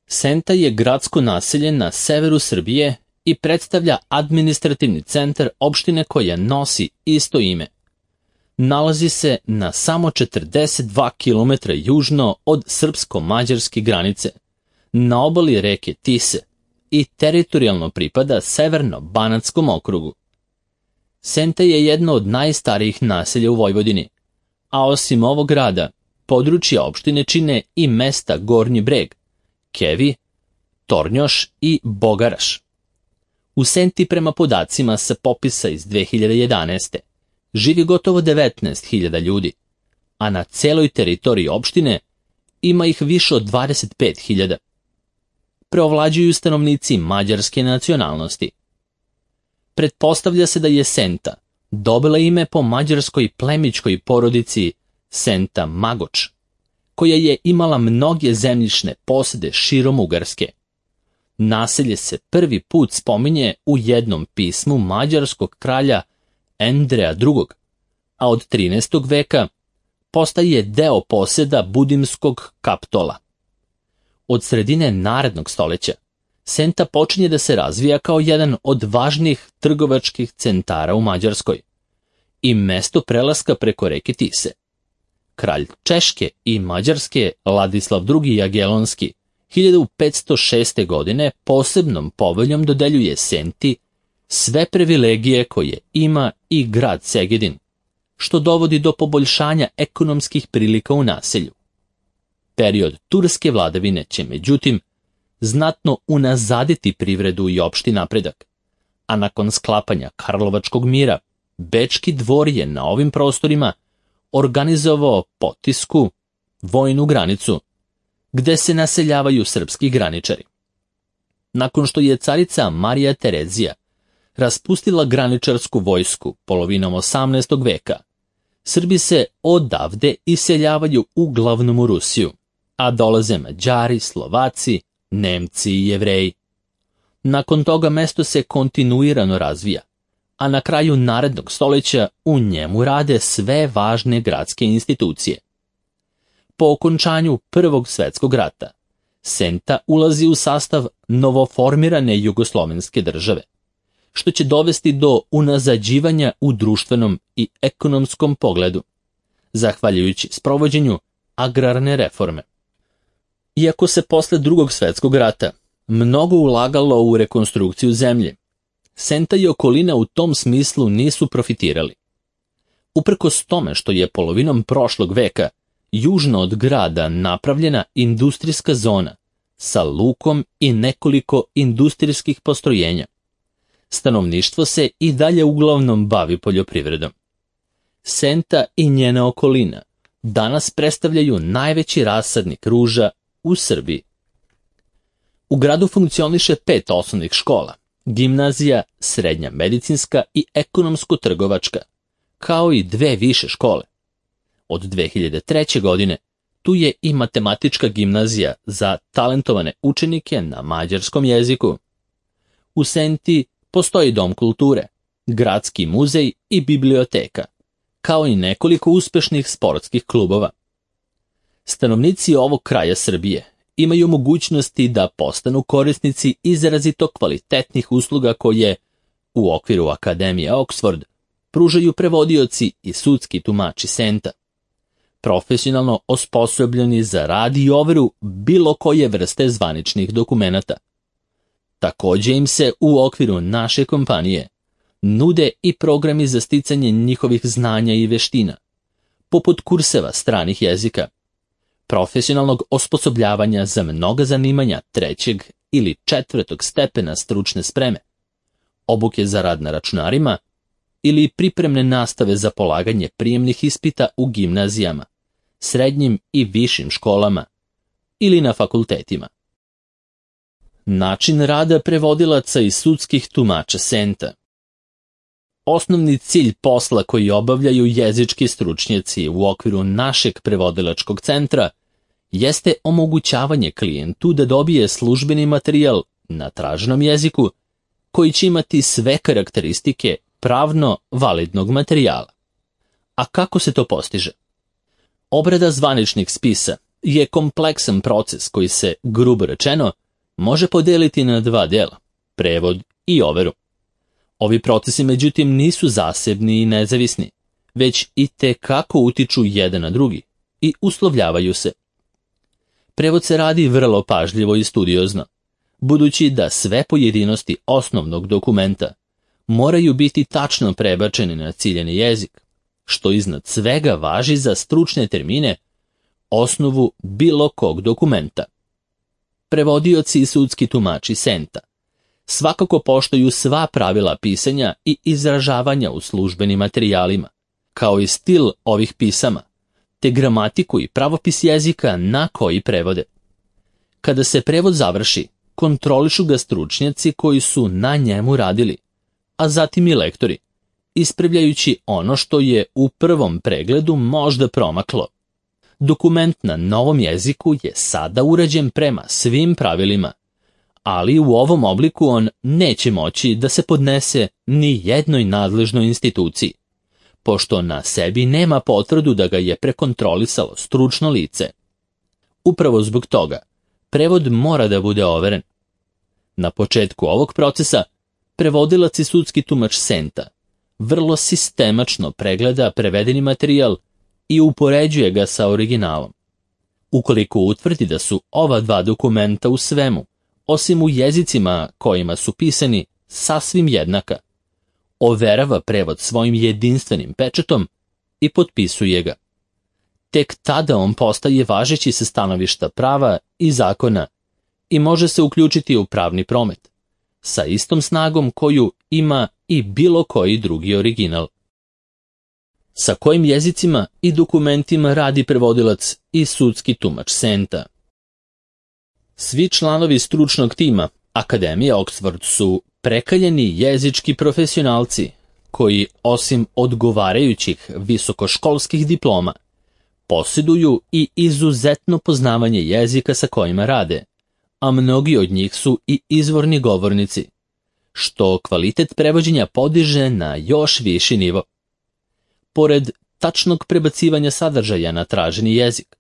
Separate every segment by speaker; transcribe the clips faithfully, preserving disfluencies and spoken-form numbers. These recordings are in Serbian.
Speaker 1: Senta je gradsko naselje na severu Srbije i predstavlja administrativni centar opštine koja nosi isto ime. Nalazi se na samo četrdeset dva kilometra južno od srpsko-mađarske granice, na obali reke Tise i teritorijalno pripada Severno-Banatskom okrugu. Senta je jedno od najstarijih naselja u Vojvodini, a osim ovog grada, područja opštine čine i mesta Gornji Breg, Kevi, Tornjoš i Bogaraš. U Senti prema podacima sa popisa iz dve hiljade jedanaeste. živi gotovo devetnaest hiljada ljudi, a na celoj teritoriji opštine ima ih više od dvadeset pet hiljada. Preovlađuju stanovnici mađarske nacionalnosti. Pretpostavlja se da je Senta dobila ime po mađarskoj plemićkoj porodici Senta Magoč, koja je imala mnoge zemljišne posede širom Ugarske. Naselje se prvi put spominje u jednom pismu mađarskog kralja Endreja drugog, a od trinaestog veka postaje deo poseda Budimskog Kaptola. Od sredine narednog stoleća Senta počinje da se razvija kao jedan od važnijih trgovačkih centara u Mađarskoj i mesto prelaska preko reke Tise. Kralj Češke i Mađarske Ladislav drugi Jagelonski hiljadu petsto šeste. godine posebnom poveljom dodeljuje Senti sve privilegije koje ima i grad Segedin, što dovodi do poboljšanja ekonomskih prilika u naselju. Period turske vladavine će, međutim, znatno unazaditi privredu i opšti napredak, a nakon sklapanja Karlovačkog mira, Bečki dvor je na ovim prostorima organizovao potisku, vojnu granicu, gde se naseljavaju srpski graničari. Nakon što je carica Marija Terezija raspustila graničarsku vojsku polovinom osamnaestog veka, Srbi se odavde iseljavaju uglavnom u Rusiju, a dolaze Mađari, Slovaci, Nemci i Jevreji. Nakon toga mesto se kontinuirano razvija, a na kraju narednog stoleća u njemu rade sve važne gradske institucije. Po okončanju Prvog svetskog rata, Senta ulazi u sastav novoformirane jugoslovenske države, što će dovesti do unazađivanja u društvenom i ekonomskom pogledu, zahvaljujući sprovođenju agrarne reforme. Iako se posle Drugog svetskog rata mnogo ulagalo u rekonstrukciju zemlje, Senta i okolina u tom smislu nisu profitirali. Uprkos tome što je polovinom prošlog veka južno od grada napravljena industrijska zona sa lukom i nekoliko industrijskih postrojenja, stanovništvo se i dalje uglavnom bavi poljoprivredom. Senta i njena okolina danas predstavljaju najveći rasadnik ruža u Srbiji. U gradu funkcioniše pet osnovnih škola, gimnazija, srednja medicinska i ekonomsko-trgovačka, kao i dve više škole. Od dve hiljade treće. godine tu je i matematička gimnazija za talentovane učenike na mađarskom jeziku. U Senti postoji dom kulture, gradski muzej i biblioteka, kao i nekoliko uspešnih sportskih klubova. Stanovnici ovog kraja Srbije imaju mogućnosti da postanu korisnici izrazito kvalitetnih usluga koje, u okviru Akademije Oxford, pružaju prevodioci i sudski tumači Senta, profesionalno osposobljeni za rad i overu bilo koje vrste zvaničnih dokumenata. Takođe im se u okviru naše kompanije nude i programi za sticanje njihovih znanja i veština, poput kurseva stranih jezika, profesionalnog osposobljavanja za mnoga zanimanja trećeg ili četvrtog stepena stručne spreme, obuke za rad na računarima ili pripremne nastave za polaganje prijemnih ispita u gimnazijama, srednjim i višim školama ili na fakultetima. Način rada prevodilaca i sudskih tumača Senta. Osnovni cilj posla koji obavljaju jezički stručnjaci u okviru našeg prevodilačkog centra jeste omogućavanje klijentu da dobije službeni materijal na traženom jeziku koji će imati sve karakteristike pravno validnog materijala. A kako se to postiže? Obrada zvaničnih spisa je kompleksan proces koji se, grubo rečeno, može podeliti na dva dela, prevod i overu. Ovi procesi međutim nisu zasebni i nezavisni, već i te kako utiču jedan na drugi i uslovljavaju se. Prevod se radi vrlo pažljivo i studiozno, budući da sve pojedinosti osnovnog dokumenta moraju biti tačno prebačeni na ciljani jezik, što iznad svega važi za stručne termine, osnovu bilo kog dokumenta. Prevodioci i sudski tumači Senta svakako poštuju sva pravila pisanja i izražavanja u službenim materijalima, kao i stil ovih pisama, te gramatiku i pravopis jezika na koji prevode. Kada se prevod završi, kontrolišu ga stručnjaci koji su na njemu radili, a zatim i lektori, ispravljajući ono što je u prvom pregledu možda promaklo. Dokument na novom jeziku je sada urađen prema svim pravilima, ali u ovom obliku on neće moći da se podnese ni jednoj nadležnoj instituciji, pošto na sebi nema potvrdu da ga je prekontrolisalo stručno lice. Upravo zbog toga, prevod mora da bude overen. Na početku ovog procesa, prevodilac i sudski tumač Senta vrlo sistemačno pregleda prevedeni materijal i upoređuje ga sa originalom. Ukoliko utvrdi da su ova dva dokumenta u svemu, osim u jezicima kojima su pisani, sasvim jednaka, overava prevod svojim jedinstvenim pečatom i potpisuje ga. Tek tada on postaje važeći sa stanovišta prava i zakona i može se uključiti u pravni promet, sa istom snagom koju ima i bilo koji drugi original. Sa kojim jezicima i dokumentima radi prevodilac i sudski tumač Senta? Svi članovi stručnog tima Akademije Oxford su prekaljeni jezički profesionalci koji, osim odgovarajućih visokoškolskih diploma, posjeduju i izuzetno poznavanje jezika sa kojima rade, a mnogi od njih su i izvorni govornici, što kvalitet prevođenja podiže na još viši nivo. Pored tačnog prebacivanja sadržaja na traženi jezik,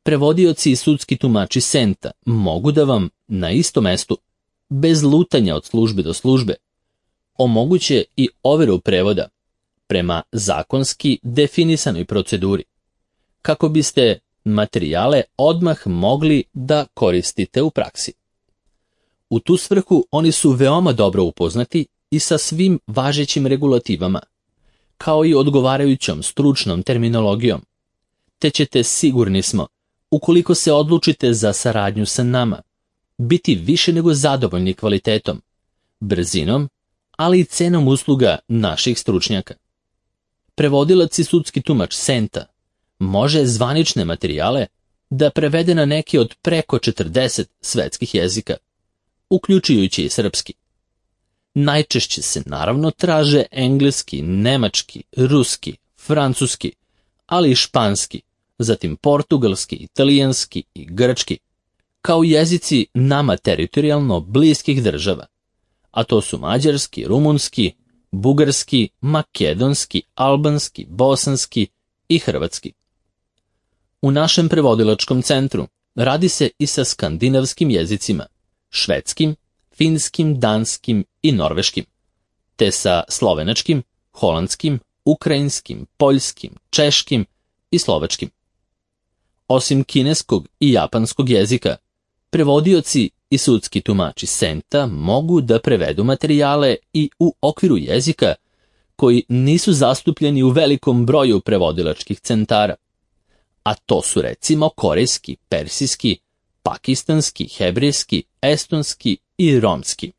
Speaker 1: prevodioci i sudski tumači Senta mogu da vam na istom mestu, bez lutanja od službe do službe, omoguće i overu prevoda prema zakonski definisanoj proceduri, kako biste materijale odmah mogli da koristite u praksi. U tu svrhu oni su veoma dobro upoznati i sa svim važećim regulativama, kao i odgovarajućom stručnom terminologijom, te ćete, sigurni smo, ukoliko se odlučite za saradnju sa nama, biti više nego zadovoljni kvalitetom, brzinom, ali i cenom usluga naših stručnjaka. Prevodilac i sudski tumač Senta može zvanične materijale da prevede na neki od preko četrdeset svetskih jezika, uključujući i srpski. Najčešće se naravno traže engleski, nemački, ruski, francuski, ali i španski, zatim portugalski, italijanski i grčki, kao jezici nama teritorijalno bliskih država, a to su mađarski, rumunski, bugarski, makedonski, albanski, bosanski i hrvatski. U našem prevodilačkom centru radi se i sa skandinavskim jezicima, švedskim, finskim, danskim i norveškim, te sa slovenačkim, holandskim, ukrajinskim, poljskim, češkim i slovačkim. Osim kineskog i japanskog jezika, prevodioci i sudski tumači Senta mogu da prevedu materijale i u okviru jezika koji nisu zastupljeni u velikom broju prevodilačkih centara, a to su recimo korejski, persijski, pakistanski, hebrejski, estonski i romski.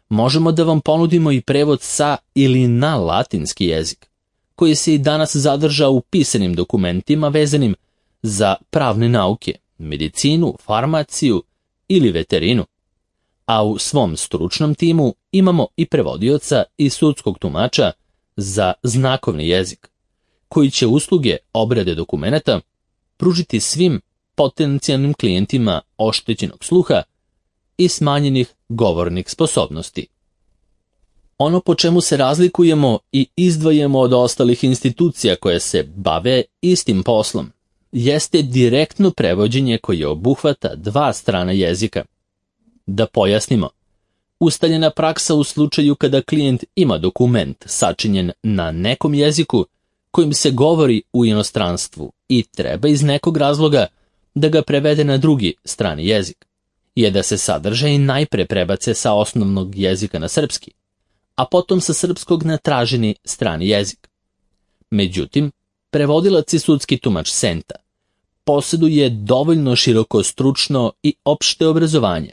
Speaker 1: Možemo da vam ponudimo i prevod sa ili na latinski jezik, koji se i danas zadrža u pisanim dokumentima vezanim za pravne nauke, medicinu, farmaciju ili veterinu, a u svom stručnom timu imamo i prevodioca i sudskog tumača za znakovni jezik, koji će usluge obrade dokumenata pružiti svim potencijalnim klijentima oštećenog sluha i smanjenih govornih sposobnosti. Ono po čemu se razlikujemo i izdvajamo od ostalih institucija koje se bave istim poslom jeste direktno prevođenje koje obuhvata dva strana jezika. Da pojasnimo, ustaljena praksa u slučaju kada klijent ima dokument sačinjen na nekom jeziku kojim se govori u inostranstvu i treba iz nekog razloga da ga prevede na drugi strani jezik, je da se sadržaj najpre prebace sa osnovnog jezika na srpski, a potom sa srpskog na traženi strani jezik. Međutim, prevodilac i sudski tumač Senta posjeduje dovoljno široko stručno i opšte obrazovanje,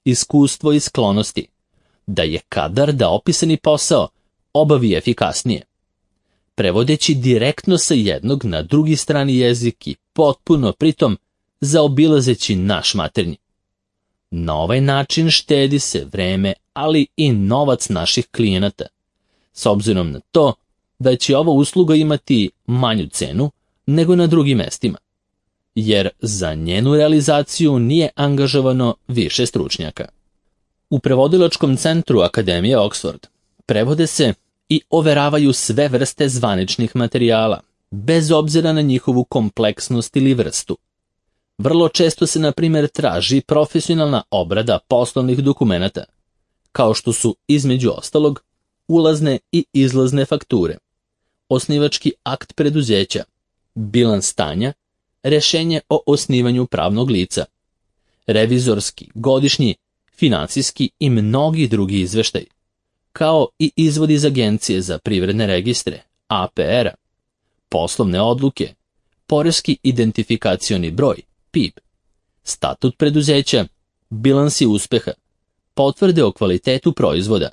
Speaker 1: iskustvo i sklonosti, da je kadar da opisani posao obavi efikasnije, prevodeći direktno sa jednog na drugi strani jezik i potpuno pritom zaobilazeći naš maternji. Na ovaj način štedi se vreme, ali i novac naših klijenata, s obzirom na to da će ova usluga imati manju cenu nego na drugim mestima, jer za njenu realizaciju nije angažovano više stručnjaka. U prevodilačkom centru Akademije Oxford prevode se i overavaju sve vrste zvaničnih materijala, bez obzira na njihovu kompleksnost ili vrstu. Vrlo često se, na primjer, traži profesionalna obrada poslovnih dokumenata, kao što su, između ostalog, ulazne i izlazne fakture, osnivački akt preduzeća, bilans stanja, rešenje o osnivanju pravnog lica, revizorski, godišnji, finansijski i mnogi drugi izveštaj, kao i izvod iz Agencije za privredne registre, A P R-a, poslovne odluke, poreski identifikacioni broj, P I B, statut preduzeća, bilansi uspeha, potvrde o kvalitetu proizvoda,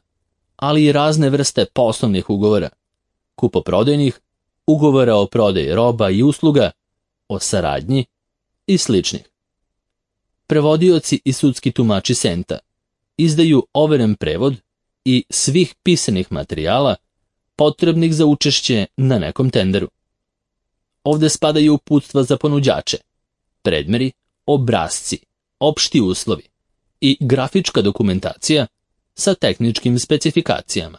Speaker 1: ali i razne vrste poslovnih ugovora, kupoprodajnih, ugovora o prodaji roba i usluga, o saradnji i sličnih. Prevodioci i sudski tumači Senta izdaju overen prevod i svih pisanih materijala potrebnih za učešće na nekom tenderu. Ovde spadaju uputstva za ponuđače, predmeri, obrasci, opšti uslovi i grafička dokumentacija sa tehničkim specifikacijama.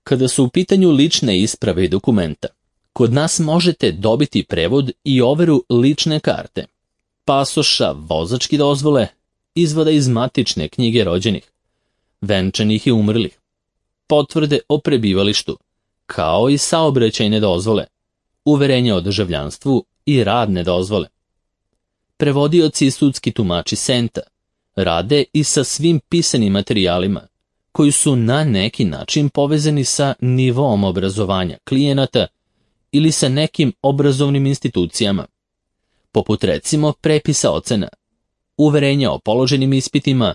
Speaker 1: Kada su u pitanju lične isprave i dokumenta, kod nas možete dobiti prevod i overu lične karte, pasoša, vozačke dozvole, izvoda iz matične knjige rođenih, venčanih i umrlih, potvrde o prebivalištu, kao i saobraćajne dozvole, uverenja o državljanstvu i radne dozvole. Prevodioci i sudski tumači Senta rade i sa svim pisanim materijalima koji su na neki način povezani sa nivoom obrazovanja klijenata ili sa nekim obrazovnim institucijama, poput recimo prepisa ocena, uverenja o položenim ispitima,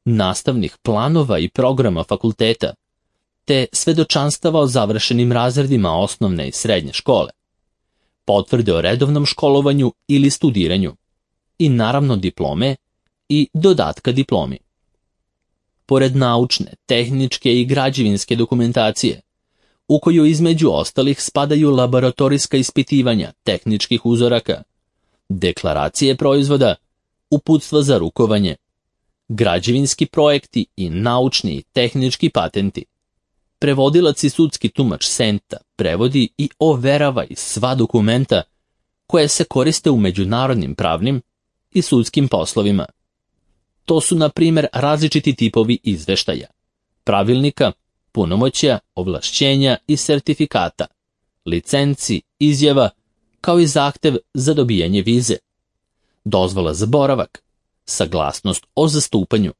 Speaker 1: nastavnih planova i programa fakulteta, te svedočanstava o završenim razredima osnovne i srednje škole, potvrde o redovnom školovanju ili studiranju i naravno diplome i dodatka diplomi. Pored naučne, tehničke i građevinske dokumentacije, u koju između ostalih spadaju laboratorijska ispitivanja tehničkih uzoraka, deklaracije proizvoda, uputstva za rukovanje, građevinski projekti i naučni i tehnički patenti. Prevodilac i sudski tumač Senta prevodi i overava i sva dokumenta koje se koriste u međunarodnim pravnim i sudskim poslovima. To su, na primjer, različiti tipovi izveštaja, pravilnika, punomoćja, ovlašćenja i sertifikata, licenci, izjava, kao i zahtev za dobijanje vize, dozvola za boravak, saglasnost o zastupanju,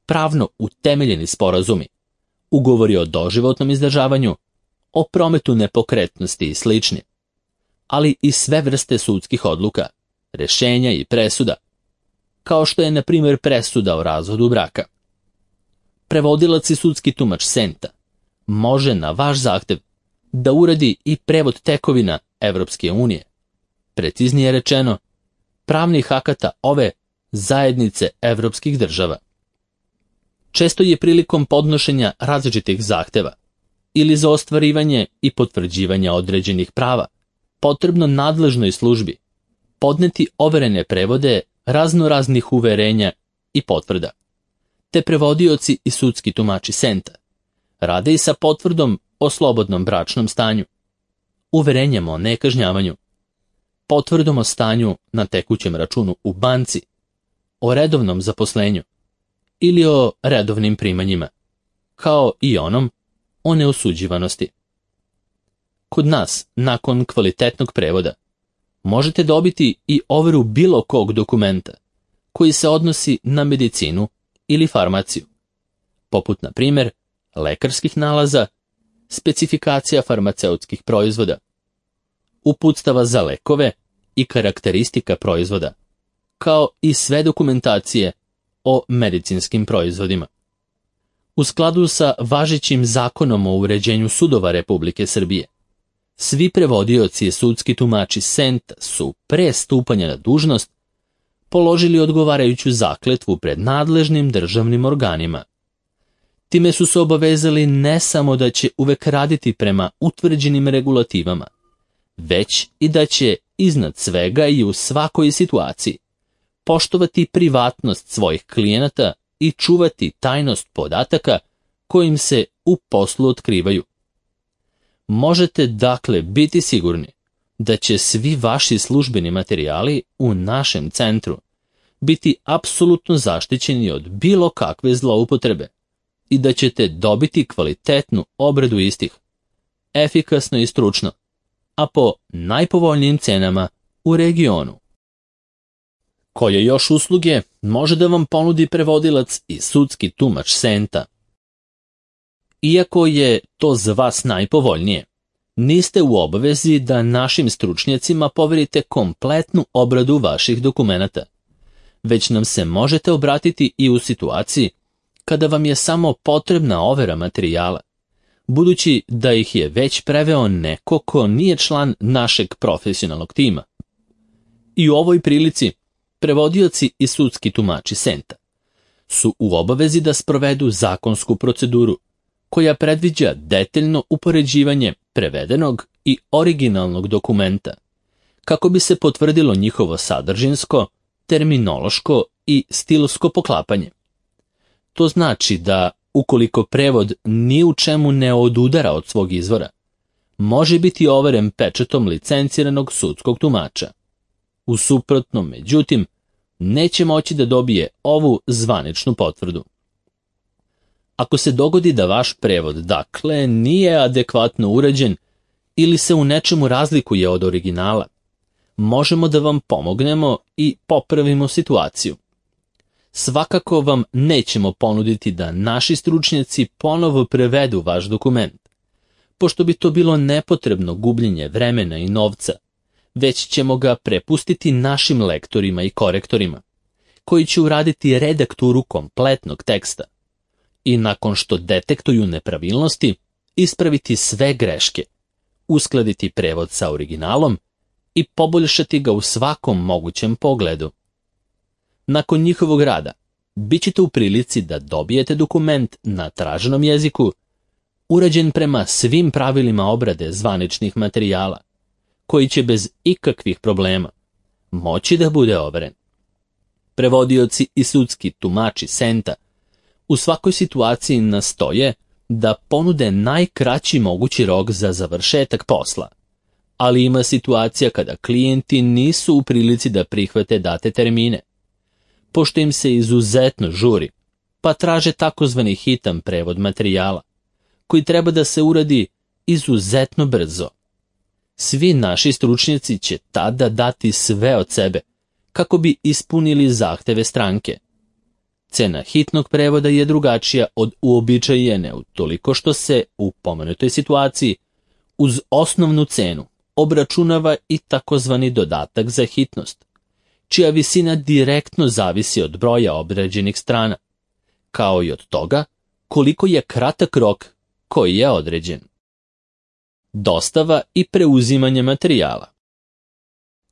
Speaker 1: pravno utemeljeni sporazumi, ugovori o doživotnom izdržavanju, o prometu nepokretnosti i slični, ali i sve vrste sudskih odluka, rešenja i presuda, kao što je, na primjer, presuda o razvodu braka. Prevodilac i sudski tumač Senta može na vaš zahtev da uradi i prevod tekovina Evropske unije, preciznije rečeno, pravnih akata ove zajednice evropskih država. Često je prilikom podnošenja različitih zahteva ili za ostvarivanje i potvrđivanje određenih prava potrebno nadležnoj službi podneti overene prevode raznoraznih uverenja i potvrda, te prevodioci i sudski tumači Senta rade i sa potvrdom o slobodnom bračnom stanju, uverenjem o nekažnjavanju, potvrdom o stanju na tekućem računu u banci, o redovnom zaposlenju ili o redovnim primanjima, kao i onom o neosuđivanosti. Kod nas, nakon kvalitetnog prevoda, možete dobiti i overu bilo kog dokumenta koji se odnosi na medicinu ili farmaciju, poput, na primjer, lekarskih nalaza, specifikacija farmaceutskih proizvoda, uputstava za lekove i karakteristika proizvoda, kao i sve dokumentacije o medicinskim proizvodima. U skladu sa važećim zakonom o uređenju sudova Republike Srbije, svi prevodioci i sudski tumači Senta su pre stupanja na dužnost položili odgovarajuću zakletvu pred nadležnim državnim organima. Time su se obavezali ne samo da će uvek raditi prema utvrđenim regulativama, već i da će iznad svega i u svakoj situaciji poštovati privatnost svojih klijenata i čuvati tajnost podataka kojim se u poslu otkrivaju. Možete dakle biti sigurni da će svi vaši službeni materijali u našem centru biti apsolutno zaštićeni od bilo kakve zloupotrebe i da ćete dobiti kvalitetnu obradu istih, efikasno i stručno, a po najpovoljnijim cenama u regionu. Koje još usluge može da vam ponudi prevodilac i sudski tumač Senta? Iako je to za vas najpovoljnije, niste u obavezi da našim stručnjacima poverite kompletnu obradu vaših dokumenata, već nam se možete obratiti i u situaciji kada vam je samo potrebna overa materijala, budući da ih je već preveo neko ko nije član našeg profesionalnog tima. I u ovoj prilici prevodioci i sudski tumači Senta su u obavezi da sprovedu zakonsku proceduru koja predviđa detaljno upoređivanje prevedenog i originalnog dokumenta, kako bi se potvrdilo njihovo sadržinsko, terminološko i stilsko poklapanje. To znači da, ukoliko prevod ni u čemu ne odudara od svog izvora, može biti overen pečatom licenciranog sudskog tumača. U suprotnom, međutim, neće moći da dobije ovu zvaničnu potvrdu. Ako se dogodi da vaš prevod, dakle, nije adekvatno urađen ili se u nečemu razlikuje od originala, možemo da vam pomognemo i popravimo situaciju. Svakako vam nećemo ponuditi da naši stručnjaci ponovo prevedu vaš dokument, pošto bi to bilo nepotrebno gubljenje vremena i novca, već ćemo ga prepustiti našim lektorima i korektorima, koji će uraditi redakturu kompletnog teksta i nakon što detektuju nepravilnosti, ispraviti sve greške, uskladiti prevod sa originalom i poboljšati ga u svakom mogućem pogledu. Nakon njihovog rada, bit ćete u prilici da dobijete dokument na traženom jeziku, urađen prema svim pravilima obrade zvaničnih materijala, koji će bez ikakvih problema moći da bude overen. Prevodioci i sudski tumači Senta u svakoj situaciji nastoje da ponude najkraći mogući rok za završetak posla, ali ima situacija kada klijenti nisu u prilici da prihvate date termine, pošto im se izuzetno žuri, pa traže takozvani hitan prevod materijala, koji treba da se uradi izuzetno brzo. Svi naši stručnjaci će tada dati sve od sebe, kako bi ispunili zahteve stranke. Cena hitnog prevoda je drugačija od uobičajene utoliko što se u pomenutoj situaciji uz osnovnu cenu obračunava i takozvani dodatak za hitnost, čija visina direktno zavisi od broja obrađenih strana, kao i od toga koliko je kratak rok koji je određen. Dostava i preuzimanje materijala.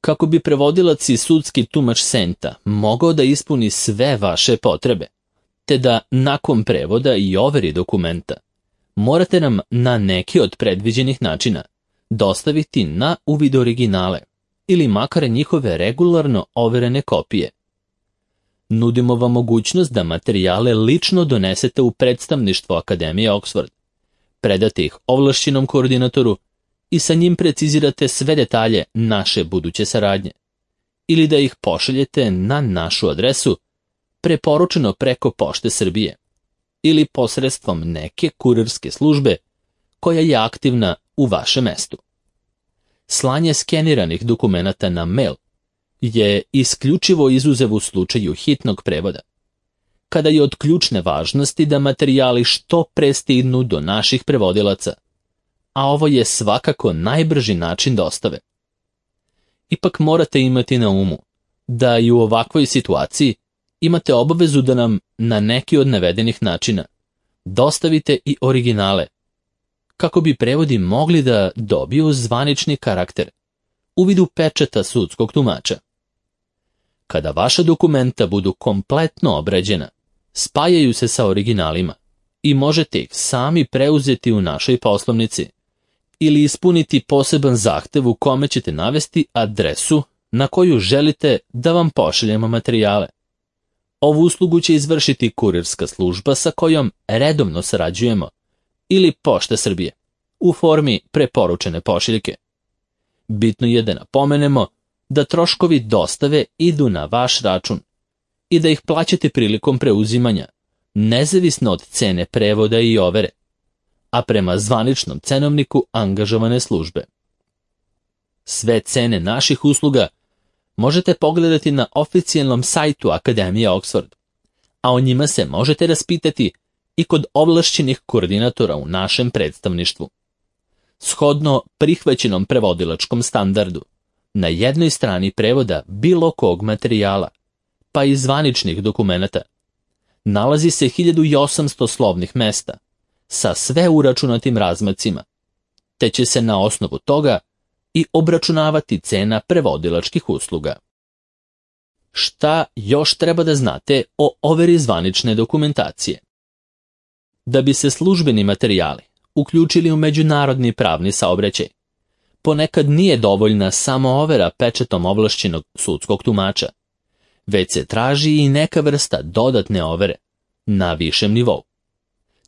Speaker 1: Kako bi prevodilac i sudski tumač Senta mogao da ispuni sve vaše potrebe, te da nakon prevoda i overi dokumenta, morate nam na neki od predviđenih načina dostaviti na uvid originale ili makar njihove regularno overene kopije. Nudimo vam mogućnost da materijale lično donesete u predstavništvo Akademije Oxford, predate ih ovlašćenom koordinatoru i sa njim precizirate sve detalje naše buduće saradnje, ili da ih pošaljete na našu adresu, preporučeno preko Pošte Srbije, ili posredstvom neke kurirske službe koja je aktivna u vašem mestu. Slanje skeniranih dokumenata na mail je isključivo izuzev u slučaju hitnog prevoda, kada je od ključne važnosti da materijali što pre stignu do naših prevodilaca, a ovo je svakako najbrži način dostave. Ipak morate imati na umu da i u ovakvoj situaciji imate obavezu da nam na neki od navedenih načina dostavite i originale, kako bi prevodi mogli da dobiju zvanični karakter u vidu pečata sudskog tumača. Kada vaša dokumenta budu kompletno obrađena, spajaju se sa originalima i možete ih sami preuzeti u našoj poslovnici ili ispuniti poseban zahtev u kome ćete navesti adresu na koju želite da vam pošaljemo materijale. Ovu uslugu će izvršiti kurirska služba sa kojom redovno sarađujemo ili Pošta Srbije u formi preporučene pošiljke. Bitno je da napomenemo da troškovi dostave idu na vaš račun i da ih plaćate prilikom preuzimanja, nezavisno od cene prevoda i overe, a prema zvaničnom cenovniku angažovane službe. Sve cene naših usluga možete pogledati na oficijalnom sajtu Akademije Oxford, a o njima se možete raspitati i kod ovlašćenih koordinatora u našem predstavništvu. Shodno prihvaćenom prevodilačkom standardu, na jednoj strani prevoda bilo kog materijala, pa i zvaničnih dokumenata, nalazi se hiljadu osamsto slovnih mesta sa sve uračunatim razmacima, te će se na osnovu toga i obračunavati cena prevodilačkih usluga. Šta još treba da znate o overi zvanične dokumentacije? Da bi se službeni materijali uključili u međunarodni pravni saobraćaj, ponekad nije dovoljna samo overa pečatom ovlašćenog sudskog tumača, već se traži i neka vrsta dodatne overe na višem nivou.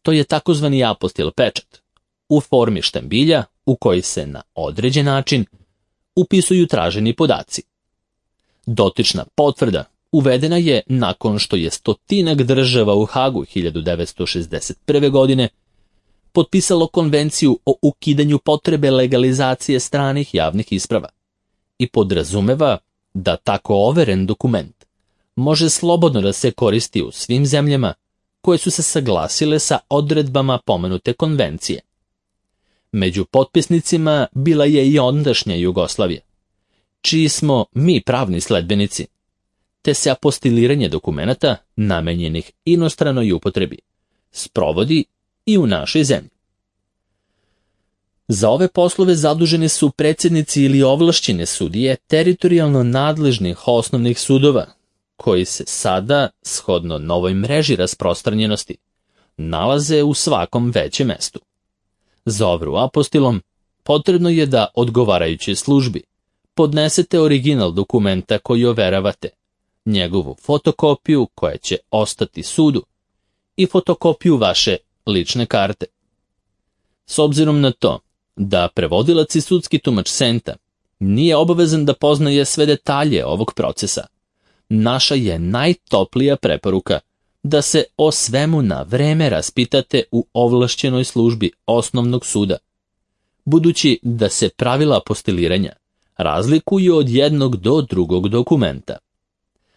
Speaker 1: To je takozvani apostil pečat, u formi štambilja u koji se na određen način upisuju traženi podaci. Dotična potvrda uvedena je nakon što je stotinak država u Hagu hiljadu devetsto šezdeset prve. godine potpisalo konvenciju o ukidanju potrebe legalizacije stranih javnih isprava i podrazumeva da tako overen dokument može slobodno da se koristi u svim zemljama koje su se saglasile sa odredbama pomenute konvencije. Među potpisnicima bila je i ondašnja Jugoslavija, čiji smo mi pravni sledbenici, te se apostiliranje dokumenata namenjenih inostranoj upotrebi sprovodi i u našoj zemlji. Za ove poslove zaduženi su predsjednici ili ovlašćene sudije teritorijalno nadležnih osnovnih sudova, koji se sada, shodno novoj mreži rasprostranjenosti, nalaze u svakom većem mestu. Za overu apostilom potrebno je da odgovarajućoj službi podnesete original dokumenta koji overavate, njegovu fotokopiju koja će ostati sudu i fotokopiju vaše lične karte. S obzirom na to da prevodilac i sudski tumač Senta nije obavezan da poznaje sve detalje ovog procesa, naša je najtoplija preporuka da se o svemu na vreme raspitate u ovlašćenoj službi osnovnog suda, budući da se pravila apostiliranja razlikuju od jednog do drugog dokumenta.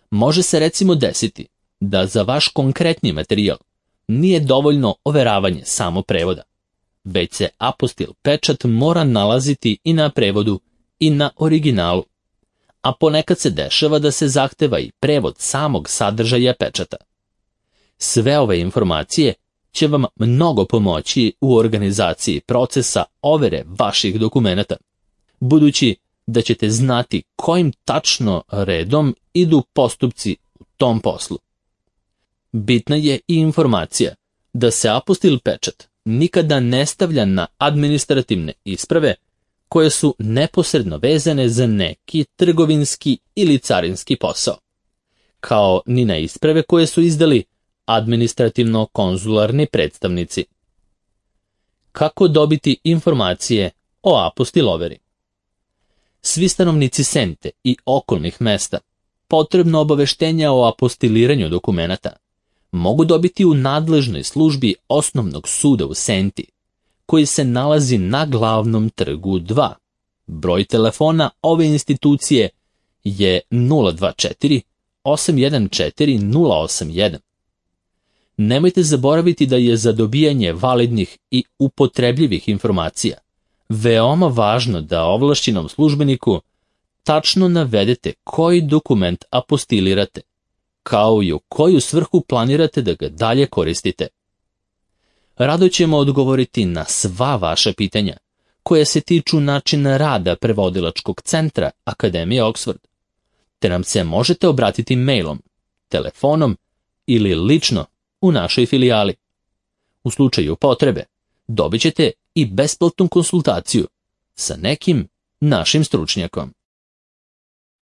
Speaker 1: Može se recimo desiti da za vaš konkretni materijal nije dovoljno overavanje samo prevoda, već se apostil pečat mora nalaziti i na prevodu i na originalu, a ponekad se dešava da se zahteva i prevod samog sadržaja pečata. Sve ove informacije će vam mnogo pomoći u organizaciji procesa overe vaših dokumenata, budući da ćete znati kojim tačno redom idu postupci u tom poslu. Bitna je i informacija da se apostil pečat nikada ne stavlja na administrativne isprave koje su neposredno vezane za neki trgovinski ili carinski posao, kao ni na isprave koje su izdali administrativno-konzularni predstavnici. Kako dobiti informacije o apostiloveri. Svi stanovnici Sente i okolnih mesta potrebno obaveštenja o apostiliranju dokumenata mogu dobiti u nadležnoj službi Osnovnog suda u Senti, koji se nalazi na Glavnom trgu dva. Broj telefona ove institucije je nula dva četiri osam jedan četiri nula osam jedan. Nemojte zaboraviti da je za dobijanje validnih i upotrebljivih informacija veoma važno da ovlašćenom službeniku tačno navedete koji dokument apostilirate, kao i u koju svrhu planirate da ga dalje koristite. Rado ćemo odgovoriti na sva vaša pitanja, koje se tiču načina rada prevodilačkog centra Akademije Oxford, te nam se možete obratiti mailom, telefonom ili lično u našoj filijali. U slučaju potrebe dobit ćete i besplatnu konsultaciju sa nekim našim stručnjakom.